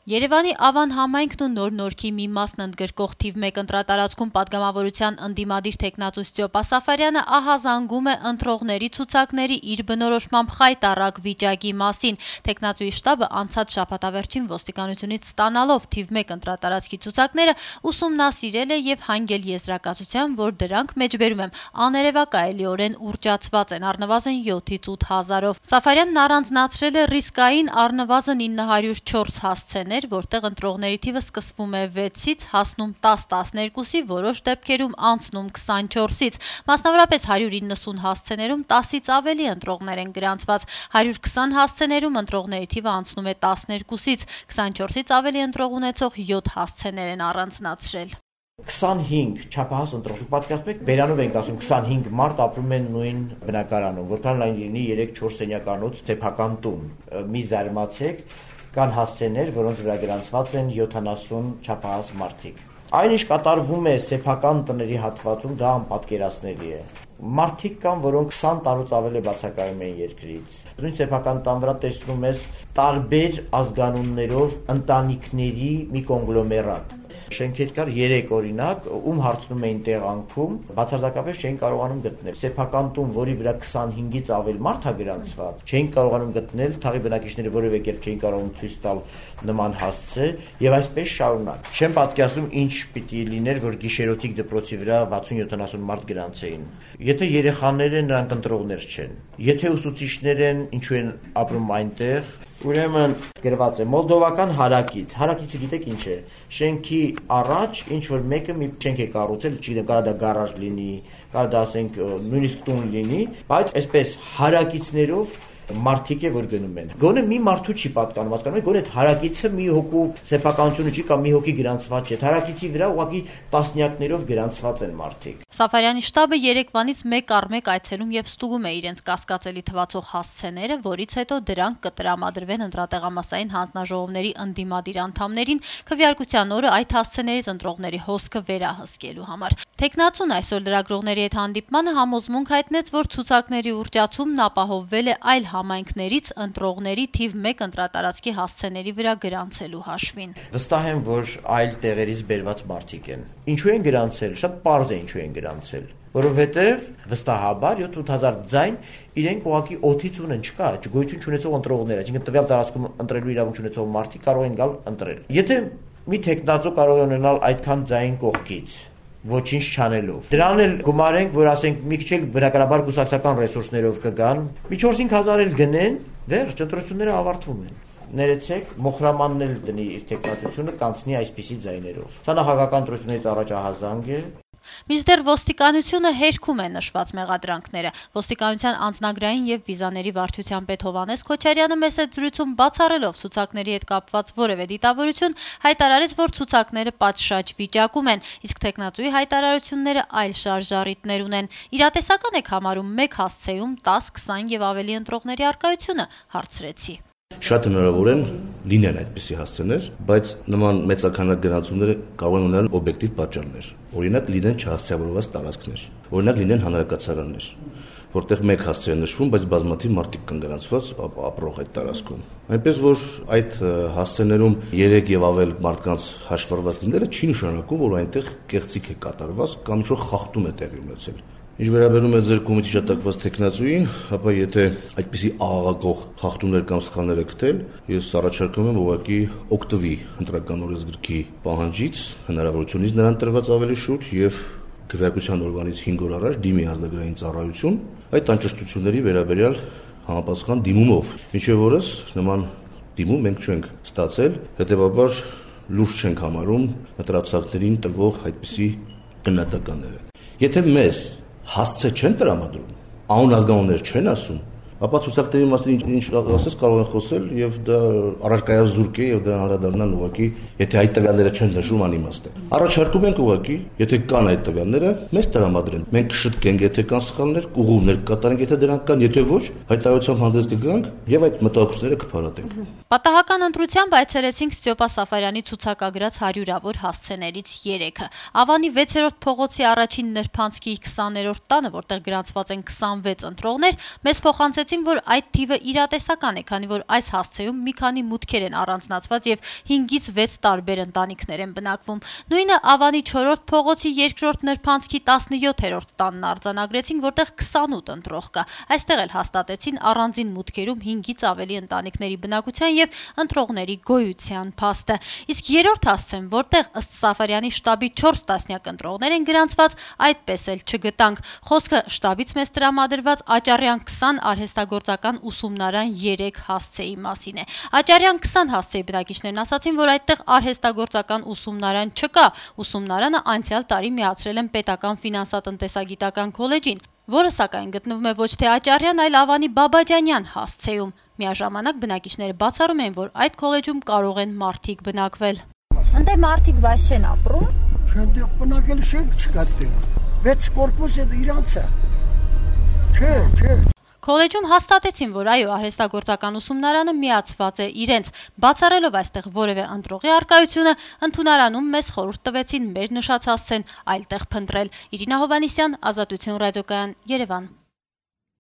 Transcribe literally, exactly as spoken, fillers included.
Երևանի Ավան համայնքն ու Նոր Նորքի մի մասն ընդգրկող թիվ մեկ ընտրատարածքում պատգամավորության ընդդիմադիր թեկնածու Ստյոպա Սաֆարյանը ահազանգում է ընտրողների ցուցակների իր բնորոշմամբ խայտառակ վիճակի մասին։ Թեկնածուի շտաբը անցած շաբաթավերջին ոստիկանությունից ստանալով թիվ մեկ ընտրատարածքի ցուցակները ուսումնասիրել է եւ հանգել եզրակացության, որ դրանք մեջբերում եմ աներևակայելիորեն ուռճացված են առնվազն յոթից ութ հազարով։ Սաֆարյանն առանձնացրել է ռիսկային առնվազն ինը հարյուր չորս հասցեներ, որտեղ ընտրողների թիվը սկսվում է վեցից, հասնում տաս տասներկուսի, որոշ դեպքերում անցնում քսանչորսից։ Մասնավորապես հարյուր իննսուն հասցեներում տասից ավելի ընտրողներ են գրանցված, հարյուր քսան հասցեներում ընտրողների թիվը անցնում է տասներկուսից, քսանչորսից ավելի ընտրող ունեցող յոթ հասցեներ են առանձնացրել։ քսանհինգ չափահաս ընտրող, պատկերացնում եք, բերանով ենք ասում քսանհինգ մարդ ապրում են նույն բնակարանում, որքան լայն լինի երեք չորս սենյականոց սեփական տուն։ Մի զարմացեք, կան հասցեներ, որոնց վրա գրանցված են յոթանասուն չափահաս մարդիկ։ Այն ինչ կատարվում է սեփական տների հատվածում, դա անպատկերացնելի է։ Մարդիկ կան, որոնք քսան տարուց ավել է բացակայում են երկրից։ Նույն սեփական տան վրա տեսնում ես տարբեր ազգանուններով ընտանիքների մի կոնգլոմերատ։ Շենքեր կար երեք օրինակ, ում հարցնում էին տեղանքում, բացարձակապես չէին կարողանում գտնել։ Սեփական տուն, որի վրա քսանհինգից ավել մարդ է գրանցված, չէին կարողանում գտնել, թաղի բնակիչները որևէ կերպ չէին կարողանում ցույց տալ նման հասցե, եւ այսպես շարունակ։ Չեմ պատկերացնում ինչ պիտի լիներ, որ գիշերօթիկ դպրոցի վրա վաթսուն յոթանասուն մարդ գրանցեին։ Եթե երեխաներ են, նրանք ընտրողներ չեն։ Եթե ուսուցիչներ են, ինչու են ապրում այնտեղ, ուրեմն գրված է մոլդովական հարակից։ Հարակիցը գիտեք ինչ է։ Շենքի առաջ ինչ որ մեկը մի շենք է կառուցել, չգիտեմ, կարա դա գարաժ լինի, կարա դա ասենք նույնիսկ տուն լինի, բայց այսպես հարակիցներով մարդիկ է որ գնում են։ Գոնե մի մարդու չի պատկանում, հասկանում եք, գոնե այդ հարակիցը մի հոգու սեփականությունը չի կամ մի հոգի գրանցված չէ։ Հարակիցի վրա ուղղակի տասնյակներով գրանցված են մարդիկ։ Սաֆարյանի շտաբը երեկվանից մեկ առ մեկ այցելում եւ ստուգում է իրենց կասկածելի թվացող հասցեները, որից հետո դրանք կտրամադրվեն ընտրատեղամասային հանձնաժողովների ընդդիմադիր անդամներին քվեարկության օրը այդ հասցեներից ընտրողների հոսքը վերահսկելու համար։ Թեկնածուն այսօր լրագրողների հետ հանդիպմանը համոզմունք հայտնեց, որ ցուցակների ուռճացումն ապահովվել է այլ համայնքներից ընտրողների թիվ մեկ ընտրատարածքի հասցեների վրա գրանցելու հաշվին։ Վստահ եմ, որ այլ տեղերից բերված մարդիկ են։ Ինչու են գրանցել, շատ պարզ է ինչու են գրանցել, որովհետև վստահաբար յոթ հազար ձայն իրենք ուղղակի օդից ունեն, չկա, գոյություն չունեցող ընտրողներ, այսինքն տվյալ տարածքում ընտրելու իրավունք չունեցող մարդիկ կարող են գալ ընտրել։ Եթե մի թեկնածու կարող է ունենալ այդքան ձայն կողքից, ոչինչ չանելով։ Դրան էլ գումարենք, որ ասենք մի քիչ էլ բնականաբար գուսակցական ռեսուրսներով կգան, մի չորս-հինգ հազար էլ գնեն, վերջ ընտրությունները ավարտվում են։ Ներեցեք, Մոխրամանն էլ դնի իր թեկնածությունը կանցնի այսպիսի ձայներով։ Սա նախագահական ընտրություններից առաջ ահազանգ է։ Մինչդեռ ոստիկանությունը հերքում է նշված մեղադրանքները։ Ոստիկանության անձնագրային եւ վիզաների վարչության պետ Հովհաննես Քոչարյանը մեծ զրույցում բացառելով ցուցակների հետ կապված որևէ դիտավորություն հայտարարեց, որ ցուցակները պատշաճ վիճակում են, իսկ թեկնածուի հայտարարությունները այլ շարժառիթներ ունեն։ Իրատեսական եք համարում մեկ հասցեում տաս, քսան եւ ավելի ընտրողների առկայությունը, հարցրեցի։ Շատ հնարավոր են լինեն այդպիսի հասցեներ, բայց նման մեծականակ գրանցումները կարող են ունենալ օբյեկտիվ պատճառներ։ Օրինակ լինեն չհասցեավորված տարածքներ, օրինակ լինեն հանրակացարաններ, որտեղ մեկ հասցե է նշվում, բայց բազմաթիվ մարդիկ կան գրանցված ապրող այդ տարածքում։ Այնպես որ այդ հասցեներում երեք եւ ավել մարդկանց հաշվառված լինելը չի նշանակում, որ այնտեղ կեղծիք է կատարված կամ ինչ-որ խախտում է տեղի ունեցել։ Ինչ վերաբերում է ձեր կողմից հիշատակված թեկնածուին, ապա եթե այդպիսի աղաղակող խախտումներ կամ սխալներ է գտել, ես առաջարկում եմ ուղղակի օգտվի ընտրական օրենսգրքի պահանջից, հնարավորությունից նրան տրված ավելի շուտ եւ քվեարկության օրվանից հինգ օր առաջ դիմի ազգագրային ծառայություն այդ անճշտությունների վերաբերյալ համապատասխան դիմումով։ Մինչեւ օրս նման դիմում մենք չենք ստացել, հետեւաբար լուրջ չենք համարում ընտրացակներին տրվող այդպիսի գնահատականները։ Եթե մեզ հասցե չեն տրամադրում, անուն ազգանուններ չեն ասում, ապա ցուցակների մասին ինչ ասես կարող են խոսել եւ դա առարկայազուրկ է եւ դա անդրադառնալ ուղղակի, եթե այդ տվյալները չեն նշում անիմաստ է։ Առաջարկում ենք ուղղակի, եթե կան այդ տվյալները, մեզ տրամադրեն։ Մենք կշտկենք, եթե կան սխալներ, կուղումներ կկատարենք, եթե դրանք կան, եթե ոչ, հայտարարությամբ հանդես կգանք եւ այդ մտահոգությունները կփարատենք։ Պատահական ընտրությամբ այցելեցինք Ստյոպա Սաֆարյանի ցուցակագրած հարյուրավոր հասցեներից երեքը։ Ավանի վեցերորդ փողոցի առաջին նրբանցքի քսաներորդ տանը, որտեղ գրանցված են քսանվեց ընտրողներ, մեզ փոխանցեցին հաստատեցին, որ այդ թիվը իրատեսական է, քանի որ այս հասցեում մի քանի մուտքեր են առանձնացված եւ հինգից վեց տարբեր ընտանիքներ են բնակվում։ Նույնը Ավանի չորրորդ փողոցի երկրորդ նրբանցքի տասնյոթերորդ տանն արձանագրեցին, որտեղ քսանութ ընտրող կա։ Այստեղ էլ հաստատեցին առանձին մուտքերում հինգից ավելի ընտանիքների բնակության եւ ընտրողների գոյության փաստը։ Իսկ երրորդ հասցեն, որտեղ ըստ Սաֆարյանի շտաբի չորս տասնյակ ընտրողներ են գրանցված, այդպես էլ չգտանք։ Խոսքը շտաբից մեզ տրամադրված Աճարյան քսան արհեստագործական ուսումնարան երեք հասցեի մասին է։ Աճարյան քսան հասցեի բնակիչներն ասացին, որ այդտեղ արհեստագործական ուսումնարան չկա։ Ուսումնարանը անցյալ տարի միացրել են պետական ֆինանսատնտեսագիտական քոլեջին, որը սակայն գտնվում է ոչ թե Աճարյան, այլ Ավանի Բաբաջանյան հասցեում։ Միաժամանակ բնակիչները բացառում են, որ այդ քոլեջում կարող են մարդիկ բնակվել։ Ընտե մարդիկ բաց չեն ապրում։ Չեն բնակել շենք չկա դե։ վեց կորպուս է իրանց է։ Չէ, չէ։ Քոլեջում հաստատեցին, որ այո, արհեստագործական ուսումնարանը միացված է իրենց, բացառելով այստեղ որևէ ընտրողի առկայությունը, ընդունարանում մեզ խորհուրդ տվեցին մեր նշած հասցեն այլտեղ փնտրել։ Իրինա Հովհաննիսյան, Ազատություն ռադիոկայան, Երևան։